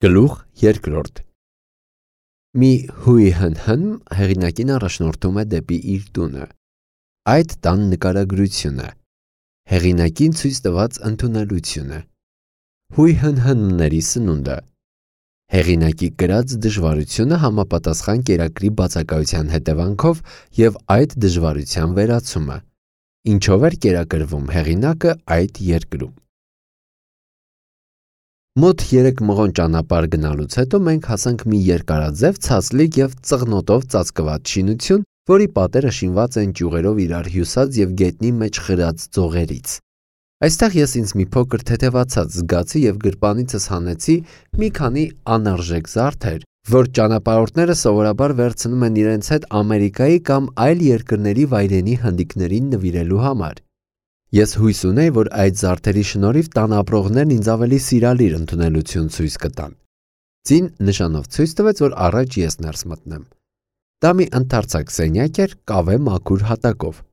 Գլուխ երկրորդ Մի հույհնհն հեղինակին առաջնորդում է դեպի իր տունը։ Այդ տան նկարագրությունը, հեղինակին ցույց տված ընդունելությունը, հույհնհնների սնունդը, հեղինակի կրած դժվարությունը համապատասխան կերակրի բացակայության հետևանքով և այդ դժվարության վերացումը, ինչով էր կերակրվում հեղինակը այդ երկրում։ Մոտ 3 մղոն ճանապարհ գնալուց հետո մենք հասանք մի երկարաձև, ցածլիկ և ծղնոտով ծածկված շինություն, որի պատերը շինված են ճյուղերով իրար հյուսած և գետնի մեջ խրած ձողերից։ Այստեղ ես ինձ մի փոքր թեթևացած զգացի և գրպանիցս հանեցի մի քանի անարժեք զարդեր, որ ճանապարհորդները սովորաբար վերցնում են իրենց հետ Ամերիկայի կամ այլ երկրների վայրենի հնդիկներին նվիրելու համար։ Ես հույս ունեի, որ այդ զարդերի շնորհիվ տան ապրողներն ինձ ավելի սիրալիր ընդունելություն ցույց կտան։ Ձին նշանով ցույց տվեց, որ առաջ ես ներս մտնեմ։ Դա մի ընդարձակ սենյակ էր կավե մաքուր հատակով։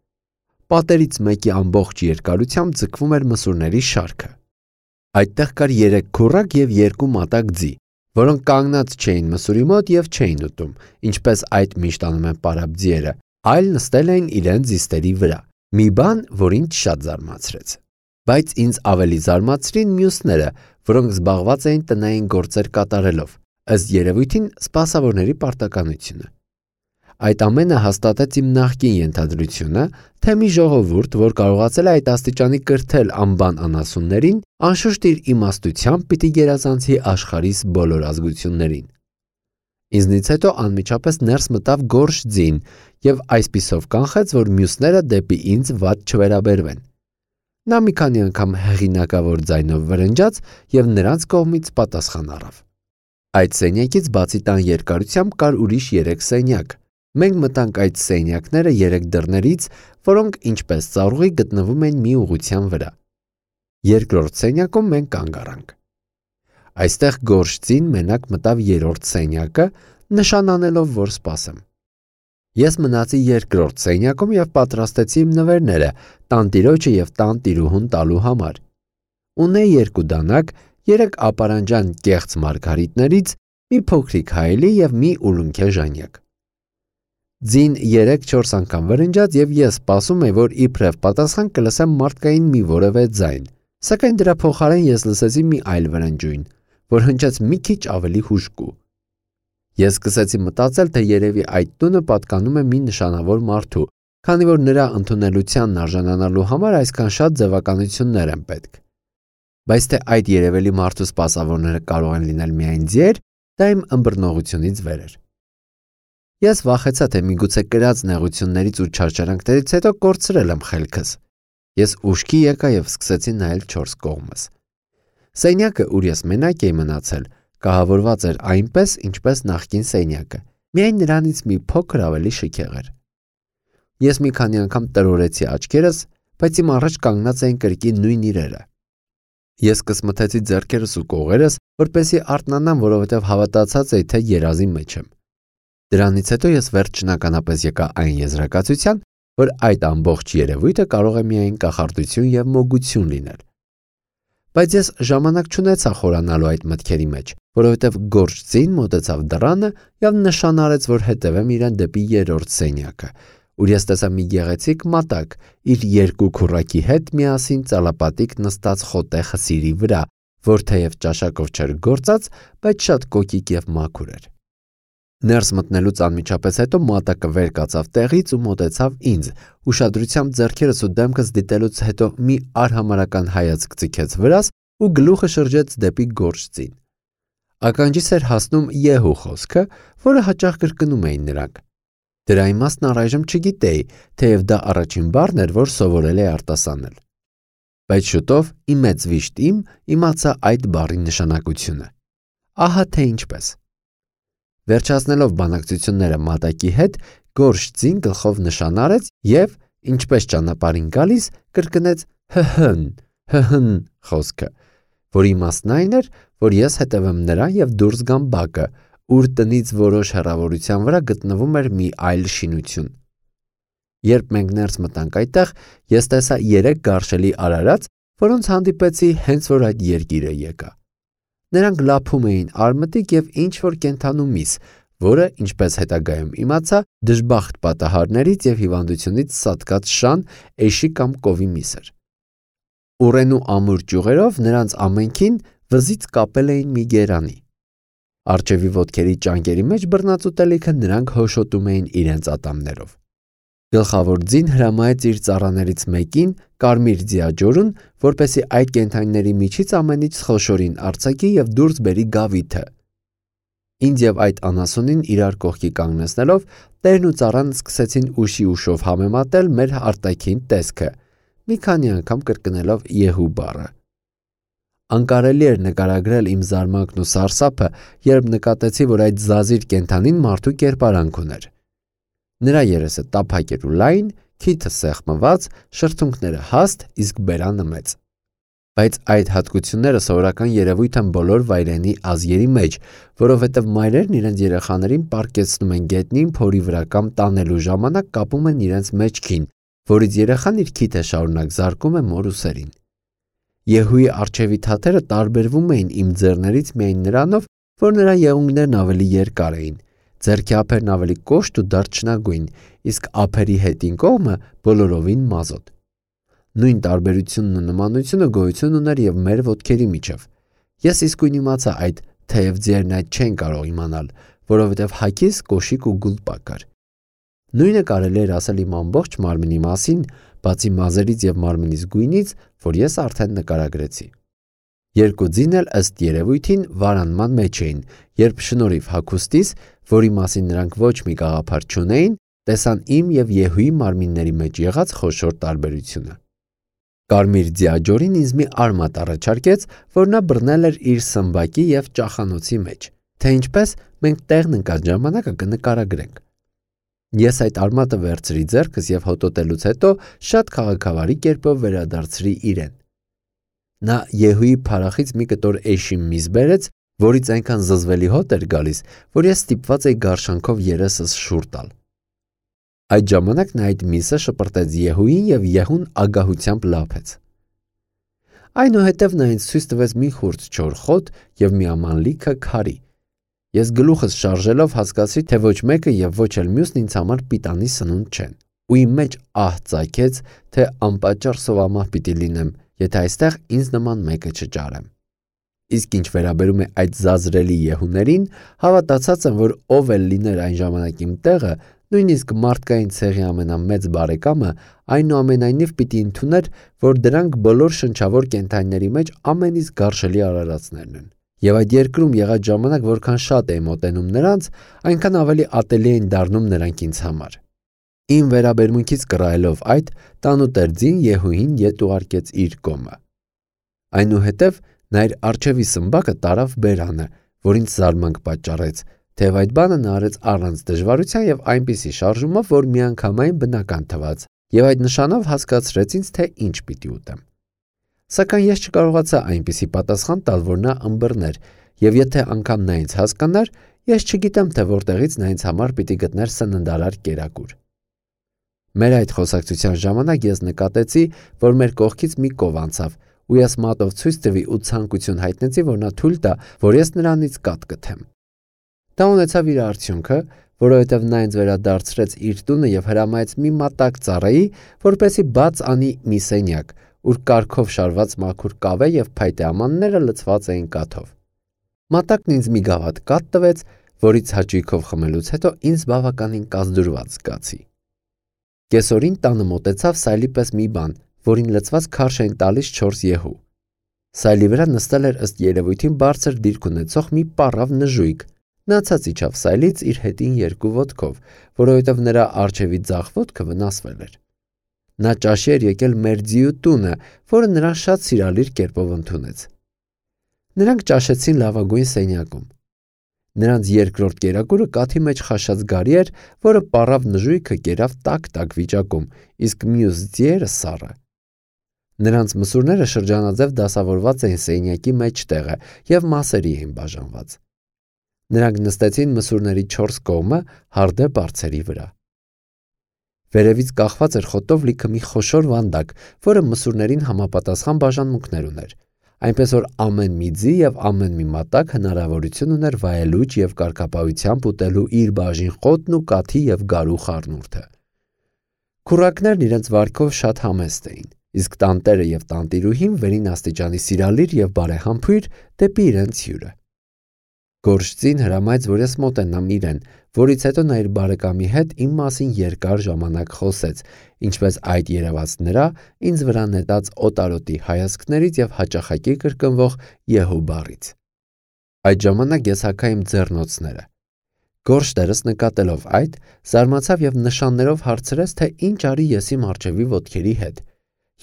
Պատերից մեկի ամբողջ երկարությամբ ձգվում էր մսուրների շարքը։ Այդտեղ կար 3 քուռակ և 2 մատակ ձի, որոնք կանգնած չէին մսուրի մոտ և չէին ուտում, ինչպես այդ միշտ անում են պարապ ձիերը, այլ նստել էին իրենց զիստերի վրա։ Մի բան, որ ինձ շատ զարմացրեց։ Բայց ինձ ավելի զարմացրին մյուսները, որոնք զբաղված էին տնային գործեր կատարելով, ըստ երևույթին սպասավորների պարտականությունը։ Այդ ամենը հաստատեց իմ նախկին ենթադրությունը, թե մի ժողովուրդ, որ կարողացել է այդ աստիճանի կրթել անբան անասուններին, անշուշտ իր իմաստությամբ պիտի գերազանցի աշխարհիս բոլոր ազգություններին։ Ինձնից հետո անմիջապես ներս մտավ գորշ ձին և այսպիսով կանխեց, որ մյուսները դեպի ինձ վատ չվերաբերվեն։ Նա մի քանի անգամ հեղինակավոր ձայնով վրնջաց և նրանց կողմից պատասխան առավ։ Այդ սենյակից բացի տան երկարությամբ կար ուրիշ 3 սենյակ։ Մենք մտանք այդ սենյակները 3 դռներից, որոնք ինչպես ծառուղի գտնվում էին մի ուղղության վրա։ Երկրորդ սենյակում մենք կանգ առանք։ Այստեղ գորշ ձին մենակ մտավ 3-րդ սենյակը, նշան անելով, որ սպասեմ։ Ես մնացի երկրորդ սենյակում և պատրաստեցի իմ նվերները տանտիրոջը և տանտիրուհուն տալու համար։ Ունեի 2 դանակ, 3 ապարանջան կեղծ մարգարիտներից, մի փոքրիկ հայելի և մի ուլունքե ժանյակ։ Ձին 3-4 անգամ վրնջաց և ես սպասում էի, որ իբրև պատասխան կլսեմ մարդկային մի որևէ ձայն, սակայն դրա փոխարեն ես լսեցի մի այլ վրնջույն, որ հնչեց մի քիչ ավելի հուժկու։ Ես սկսեցի մտածել, թե երևի այդ տունը պատկանում է մի նշանավոր մարդու, քանի որ նրա ընդունելությանն արժանանալու համար այսքան շատ ձևականություններ են պետք։ Բայց թե այդ երևելի մարդու սպասավորները կարող են լինել միայն ձիեր, դա իմ ըմբռնողությունից վեր էր։ Ես վախեցա, թե միգուցե կրած նեղություններից ու չարչարանքներից հետո կորցրել եմ խելքս։ Ես ուշքի եկա և սկսեցի նայել 4 կողմս։ Սենյակը, ուր ես մենակ էի մնացել, կահավորված էր այնպես, ինչպես նախկին սենյակը, միայն նրանից մի փոքր ավելի շքեղ էր։ Ես մի քանի անգամ տրորեցի աչքերս, բայց իմ առաջ կանգնած էին կրկին նույն իրերը։ Ես կսմթեցի ձեռքերս ու կողերս, որպեսզի արթնանամ, որովհետև հավատացած էի, թե երազի մեջ եմ։ Դրանից հետո ես վերջնականապես եկա այն եզրակացության, որ այդ ամբողջ երևույթը կարող է միայն կախարդություն և մոգություն լինել։ Բայց ես ժամանակ չունեցա խորանալու այդ մտքերի մեջ, որովհետև գորշ ձին մոտեցավ դռանը և նշան արեց, որ հետևեմ իրեն դեպի 3-րդ սենյակը, ուր ես տեսա մի գեղեցիկ մատակ իր 2 քուռակի հետ միասին ծալապատիկ նստած խոտե խսիրի վրա, որ թեև ճաշակով չէր գործած, բայց շատ կոկիկ և մաքուր էր։ Ներս մտնելուց անմիջապես հետո մատակը վեր կացավ տեղից ու մոտեցավ ինձ, ուշադրությամբ ձեռքերս ու դեմքս դիտելուց հետո մի արհամարհական հայացք ձգեց վրաս ու գլուխը շրջեց դեպի գորշ ձին։ Ականջիս էր հասնում Եհու խոսքը, որը հաճախ կրկնում էին նրանք։ Դրա իմաստն առայժմ չգիտեի, թեև դա առաջին բառն էր, որ սովորել էի արտասանել։ Բայց շուտով ի մեծ վիշտ իմ իմացա այդ բառի նշանակությունը։ Ահա թե ինչպես։ Վերջացնելով բանակցությունները մատակի հետ, գորշ ձին գլխով նշան արեց և, ինչպես ճանապարհին գալիս, կրկնեց հհն խոսքը, որի իմաստն այն էր, որ ես հետևեմ նրան և դուրս գամ բակը, ուր տնից որոշ հեռավորության վրա գտնվում էր մի այլ շինություն։ Երբ մենք ներս մտանք այդտեղ, ես տեսա 3 գարշելի արարած, որոնց հանդիպեցի հենց որ այդ երկիրը եկա։ Նրանք լափում էին արմտիկ և ինչ-որ կենդանու միս, որը, ինչպես հետագայում իմացա, դժբախտ պատահարներից և հիվանդությունից սատկած շան, էշի կամ կովի միս էր։ Ուռենու ամուր ճյուղերով նրանց ամենքին վզից կապել էին մի գերանի։ Առջևի ոտքերի ճանկերի մեջ բռնած ուտելիքը նրանք հոշոտում էին իրենց ատամներով։ Գլխավոր ձին հրամայեց իր ծառաներից մեկին կարմիր ձիաջորուն, որպեսզի այդ կենդանիների միջից ամենից խոշորին արձակի և դուրս բերի գավիթը։ Ինձ և այդ անասունին իրար կողքի կանգնեցնելով, տերն ու ծառան սկսեցին ուշի ուշով համեմատել մեր արտաքին տեսքը, մի քանի անգամ կրկնելով Եհու բառը։ Անկարելի էր նկարագրել իմ զարմանքն ու սարսափը, երբ նկատեցի, որ այդ զազիր կենդանին մարդու կերպարանք ուներ։ Նրա երեսը տափակ էր ու լայն, քիթը սեղմված, շրթունքները հաստ, իսկ բերանը մեծ։ Բայց այդ հատկությունները սովորական երևույթ են բոլոր վայրենի ազգերի մեջ, որովհետև մայրերն իրենց երեխաներին պառկեցնում են գետնին փորի վրա կամ տանելու ժամանակ կապում են իրենց մեջքին, որից երեխան իր քիթը շարունակ զարկում է մոր ուսերին։ Եհուի առջևի թաթերը տարբերվում էին իմ ձեռներից միայն նրանով, որ նրա եղունգներն ավելի երկար էին, ձեռքի ափերն ավելի կոշտ ու դարչնագույն, իսկ ափերի հետին կողմը բոլորովին մազոտ։ Նույն տարբերությունն ու նմանությունը գոյություն ուներ և մեր ոտքերի միջև։ Ես իսկույն իմացա այդ, թեև ձիերն այդ չեն կարող իմանալ, որովհետև հագիս, կոշիկ ու գուլպա կար։ Նույնը կարելի էր ասել իմ ամբողջ մարմնի մասին, բացի մազերից և մարմնիս գույնից, որ ես արդեն նկարագրեցի։ Երկու ձին էլ ըստ երևույթին վարանման մեջ էին, երբ շնորհիվ հագուստիս, որի մասին նրանք ոչ մի գաղափար չունեին, տեսան իմ և Եհուի մարմինների մեջ եղած խոշոր տարբերությունը։ Կարմիր ձիաջորին ինձ մի արմատ առաջարկեց, որ նա բռնել էր իր սմբակի և ճախանոցի մեջ, թե ինչպես մենք տեղն ընկած ժամանակը կնկարագրենք։ Ես այդ արմատը վերցրի ձեռքս և հոտոտելուց հետո շատ քաղաքավարի կերպով վերադարձրի իրեն։ Նա Եհուի փարախից մի կտոր էշի միս բերեց, որից այնքան զզվելի հոտ էր գալիս, որ ես ստիպված էի գարշանքով երեսս շուռ տալ։ Այդ ժամանակ նա այդ միսը շպրտեց Եհուին և Եհուն ագահությամբ լափեց։ Այնուհետև նա ինձ ցույց տվեց մի խուրձ չոր խոտ և մի աման լիքը քարի։ Ես գլուխս շարժելով հասկացի, թե ոչ մեկը և ոչ էլ մյուսն ինձ համար պիտանի սնունդ չեն, ու իմ մեջ ահ ծագեց, թե անպատճառ սովամահ պիտի լինեմ, եթե այստեղ ինձ նման մեկը չճարեմ։ Իսկ ինչ վերաբերում է այդ զազրելի Եհուներին, հավատացած եմ, որ ով էլ լիներ այն ժամանակ իմ տեղը, նույնիսկ մարդկային ցեղի ամենամեծ բարեկամը, այնուամենայնիվ պիտի ընդուներ, որ դրանք բոլոր շնչավոր կենդանիների մեջ ամենից գարշելի արարածներն են։ Եվ այդ երկրում եղած ժամանակ որքան շատ էի մոտենում նրանց, այնքան ավելի ատելի էին դառնում նրանք ինձ համար։ Իմ վերաբերմունքից կռայելով այդ, տանուտեր ձին Եհուին ետ ուղարկեց իր կոմը։ Այնուհետև նա իր առջևի սմբակը տարավ բերանը, որ ինձ զարմանք պատճառեց, թեև այդ բանը նա արեց առանց դժվարության և այնպիսի շարժումով, որ միանգամայն բնական թվաց, և այդ նշանով հասկացրեց ինձ, թե ինչ պիտի ուտեմ։ Սակայն ես չկարողացա այնպիսի պատասխան տալ, որ նա ըմբռներ, և եթե անգամ նա ինձ հասկանար, ես չգիտեմ, թե որտեղից նա ինձ համար պիտի գտներ սննդարար կերակուր։ Մեր այդ խոսակցության ժամանակ ես նկատեցի, որ մեր կողքից մի կով անցավ, ու ես մատով ցույց տվի ու ցանկություն հայտնեցի, որ նա թույլ տա, որ ես նրանից կաթ կթեմ։ Դա ունեցավ իր արդյունքը, որովհետև նա ինձ վերադարձրեց իր տունը և հրամայեց մի մատակ ծառայի, որպեսզի բաց անի մի սենյակ, ուր կարգով շարված մաքուր կավե և փայտե ամանները լցված էին կաթով։ Մատակն ինձ մի գավաթ կաթ տվեց, որից հաճույքով խմելուց հետո ինձ բավականին կազդուրված զգացի։ Կեսօրին տանը մոտեցավ սայլի պես մի բան, որին լցված քարշ էին տալիս 4 Եհու։ Սայլի վրա նստել էր ըստ երևույթին բարձր դիրք ունեցող մի պառավ նժույգ։ Նա ցած իջավ սայլից իր հետին երկու ոտքով, որովհետև նրա առջևի ձախ ոտքը վնասվել էր։ Նա ճաշի էր եկել մեր ձիու տունը, որը նրան շատ սիրալիր կերպով ընդունեց։ Նրանք ճաշեցին լավագույն սենյակում։ Նրանց երկրորդ կերակուրը կաթի մեջ խաշած գարի էր, որը պառավ նժույգը կերավ տաք վիճակում, իսկ մյուս ձիերը սառը։ Նրանց մսուրները շրջանաձև դասավորված էին սենյակի մեջտեղը և մասերի էին բաժանված։ Նրանք նստեցին մսուրների 4 կողմը հարդե բարձերի վրա։ Վերևից կախված էր խոտով լիքը մի խոշոր վանդակ, որը մսուրներին համապատասխան բաժանմունքներ ուներ։ Այնպես որ ամեն մի ձի եւ ամեն մի մատակ հնարավորություն ուներ վայելուչ եւ կարգապահությամբ ուտելու իր բաժին խոտն ու կաթի եւ գարու խառնուրդը։ Քուրակներն իրենց վարքով շատ համեստ էին, իսկ տանտերը եւ տանտիրուհին վերին աստիճանի սիրալիր եւ բարեհամբույր դեպի իրենց հյուրը։ Գորշձին հրամայեց, որ ես մոտենամ իրեն, որից հետո նա իր բարեկամի հետ իմ մասին երկար ժամանակ խոսեց, ինչպես այդ երևաց նրա ինձ վրա նետած օտարոտի հայացքներից եւ հաճախակի կրկնվող Եհու բառից։ Այդ ժամանակ ես հագա իմ ձեռնոցները։ Գորշ տերս նկատելով այդ, զարմացավ եւ նշաններով հարցրեց, թե ինչ արի ես իմ արջևի ոտքերի հետ։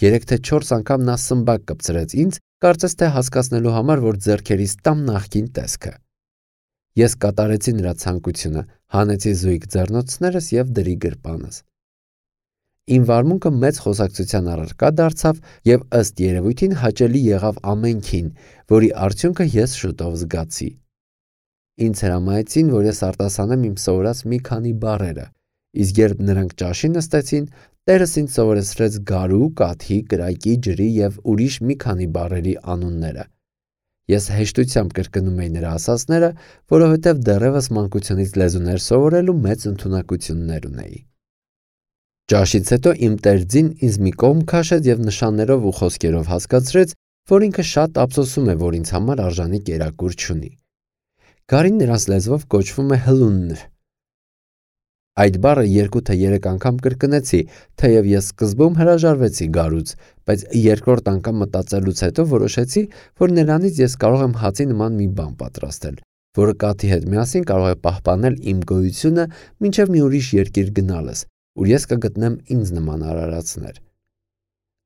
3 թե 4 անգամ նա սմբակ կպցրեց ինձ, կարծես թե հասկացնելու համար, որ ձեռքերիս տամ նախքին տեսքը։ Ես կատարեցի նրա ցանկությունը, հանեցի զույգ ձեռնոցներս եւ դրի գրպանս։ Իմ վարմունքը մեծ խոսակցության առարկա դարձավ եւ ըստ երևույթին հաճելի եղավ ամենքին, որի արդյունքը ես շուտով զգացի։ Ինձ հրամայեցին, որ ես արտասանեմ իմ սովորած մի քանի բառերը, իսկ երբ նրանք ճաշի նստեցին, տերս ինձ սովորեցրեց գարու, կաթի, կրակի, ջրի եւ ուրիշ մի քանի բառերի անունները։ Ես հեշտությամբ կրկնում էի նրա ասածները, որովհետև դեռևս մանկությունից լեզուներ սովորելու մեծ ընդունակություններ ունեի։ Ճաշից հետո իմ տերձին ինձ մի կողմ քաշեց եւ նշաններով ու խոսքերով հասկացրեց, որ ինքը շատ ափսոսում է, որ ինձ համար արժանի կերակուր չունի։ Գարին նրանց լեզվով կոչվում է հլունն։ Այդ բառը 2 թե 3 անգամ կրկնեցի, թեև ես սկզբում հրաժարվեցի գարուց, բայց երկրորդ անգամ մտածելուց հետո որոշեցի, որ նրանից ես կարող եմ հացի նման մի բան պատրաստել, որը կաթի հետ միասին կարող է պահպանել իմ գոյությունը մինչև մի ուրիշ երկիր գնալս, ուր ես կգտնեմ ինձ նման արարածներ։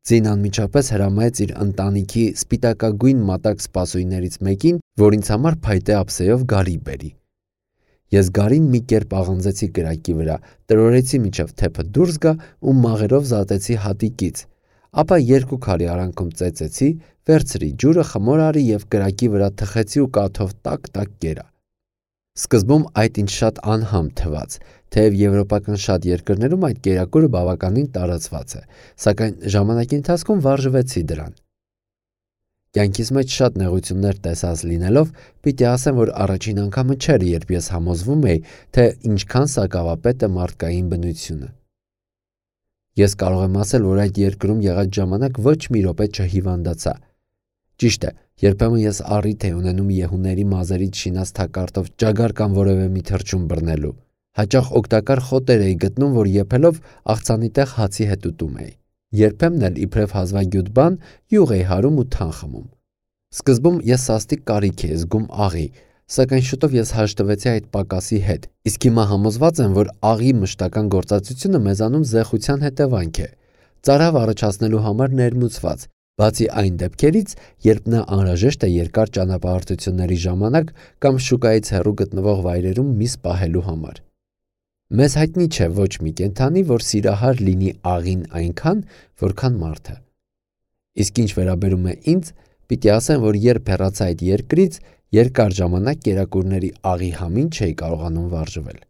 Ձին անմիջապես հրամայեց իր ընտանիքի սպիտակագույն մատակ սպասույներից մեկին, որ ինձ համար փայտե ափսեով գարի բերի։ Ես գարին մի կերպ աղանձեցի կրակի վրա, տրորեցի մինչև թեփը դուրս գա ու մաղերով զատեցի հատիկից, ապա 2 քարի արանքում ծեծեցի, վերցրի ջուրը, խմոր արի եւ կրակի վրա թխեցի ու կաթով տակ-տակ կերա։ Սկզբում այդ ինձ շատ անհամ թվաց, թեև եվրոպական շատ երկրներում այդ կերակուրը բավականին տարածված է, սակայն ժամանակի ընթացքում վարժվեցի դրան։ Կյանքիս մեջ շատ նեղություններ տեսած լինելով, պիտի ասեմ, որ առաջին անգամը չէր, երբ ես համոզվում էի, թե ինչքան սակավապետ է մարդկային բնությունը։ Ես կարող եմ ասել, որ այդ երկրում եղած ժամանակ ոչ մի րոպե չհիվանդացա։ Ճիշտ է, երբեմն ես առիթ էի ունենում Եհուների մազերից շինած թակարդով ճագար կամ որևէ մի թռչուն բռնելու։ Հաճախ օգտակար խոտեր էի գտնում, որ եփելով աղցանի տեղ հացի հետ ուտում էի։ Երբեմն էլ իբրև հազվագյուտ բան յուղ էի հարում ու թան խմում։ Սկզբում ես սաստիկ կարիք էի զգում աղի, սակայն շուտով ես հաշտվեցի այդ պակասի հետ, իսկ հիմա համոզված եմ, որ աղի մշտական գործածությունը մեզանում զեղության հետևանք է, ծարավ առաջացնելու համար ներմուծված, բացի այն դեպքերից, երբ նա անհրաժեշտ է երկար ճանապարհորդությունների ժամանակ կամ շուկայից հեռու գտնվող վայրերում միս պահելու համար։ Մեզ հայտնի չէ ոչ մի կենդանի, որ սիրահար լինի աղին այնքան, որքան մարդը։ Իսկ ինչ վերաբերում է ինձ, պիտի ասեմ, որ երբ հեռացա այդ երկրից, երկար ժամանակ կերակուրների աղի համին չէի կարողանում վարժվել։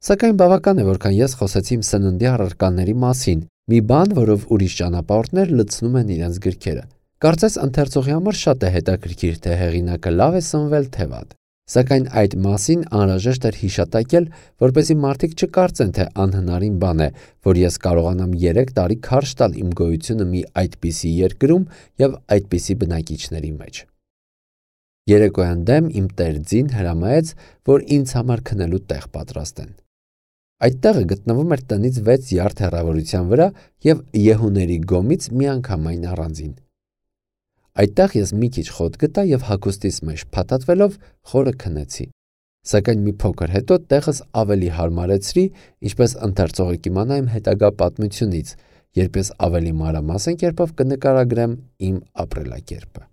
Սակայն բավական է, որքան ես խոսեցի իմ սննդի առարկաների մասին, մի բան, որով ուրիշ ճանապարհորդներ լցնում են իրենց գրքերը։ Կարծես ընթերցողի համար շատ է հետաքրքիր, թե հեղինակը լավ է սնվել, թե վատ։ Սակայն այդ մասին անհրաժեշտ էր հիշատակել, որպեսզի մարդիկ չկարծեն, թե անհնարին բան է, որ ես կարողանամ 3 տարի քարշ տալ իմ գոյությունը մի այդպիսի երկրում եւ այդպիսի բնակիչների մեջ։ Երեկոյան դեմ իմ տերձին հրամայեց, որ ինձ համար քնելու տեղ պատրաստեն։ Այդ տեղը գտնվում էր տնից 6 յարդ հեռավորության վրա եւ Եհուների գոմից միանգամայն առանձին։ Այդտեղ ես մի քիչ խոտ գտա եւ հագուստիս մեջ փաթաթվելով խորը քնեցի։ Սակայն մի փոքր հետո տեղս ավելի հարմարեցրի, ինչպես ընթերցողը կիմանա իմ հետագա պատմությունից, երբ ես ավելի մանրամասն կերպով կնկարագրեմ իմ ապրելակերպը։